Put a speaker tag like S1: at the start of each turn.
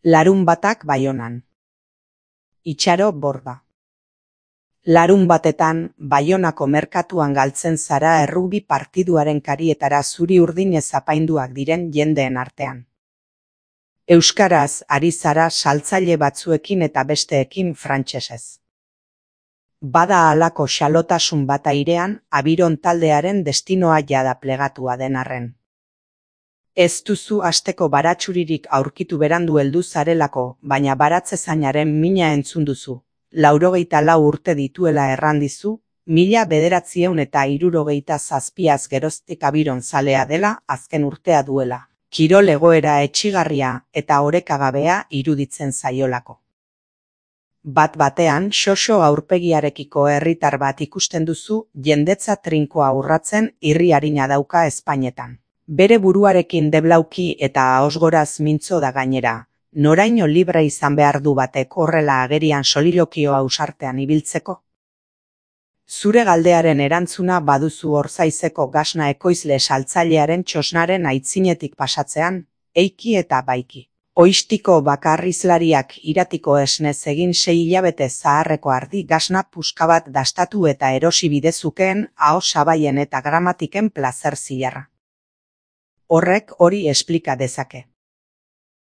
S1: Larunbatak Baionan. Itxaro Borda. Larunbatetan, Baionako merkatuan galtzen zara errugbi partiduaren karietara zuri-urdinez apainduak diren jendeen artean. Euskaraz ari zara saltzaile batzuekin eta besteekin frantsesez. Bada halako xalotasun bat airean, Abiron taldearen destinoa jada plegatua den arren. Ez duzu asteko baratxuririk aurkitu berandu heldu zarelako, baina baratzezainaren mina entzun duzu. 94 urte dituela errandizu, 1967az geroztik Abiron zalea dela, azken urtea duela. Kirol egoera etsigarria eta orekagabea iruditzen zaiolako. Bat-batean, xoxo aurpegiarekiko herritar bat ikusten duzu, jendetza trinkoa urratzen irri arina dauka Espainetan. Bere buruarekin deblauki eta ahosgoraz mintzo da gainera, noraino libre izan behar du batek horrela agerian solilokio ausartean ibiltzeko? Zure galdearen erantzuna baduzu Orzaizeko Gasna ekoizle saltzailearen txosnaren aitzinetik pasatzean, eiki eta baiki. Oistiko bakarrizlariak iratiko esnez egin 6 hilabete zaharreko ardi gasna puska bat dastatu eta erosi bidezukeen aho sabaien eta gramatiken plazer zilarra. Horrek hori esplika dezake.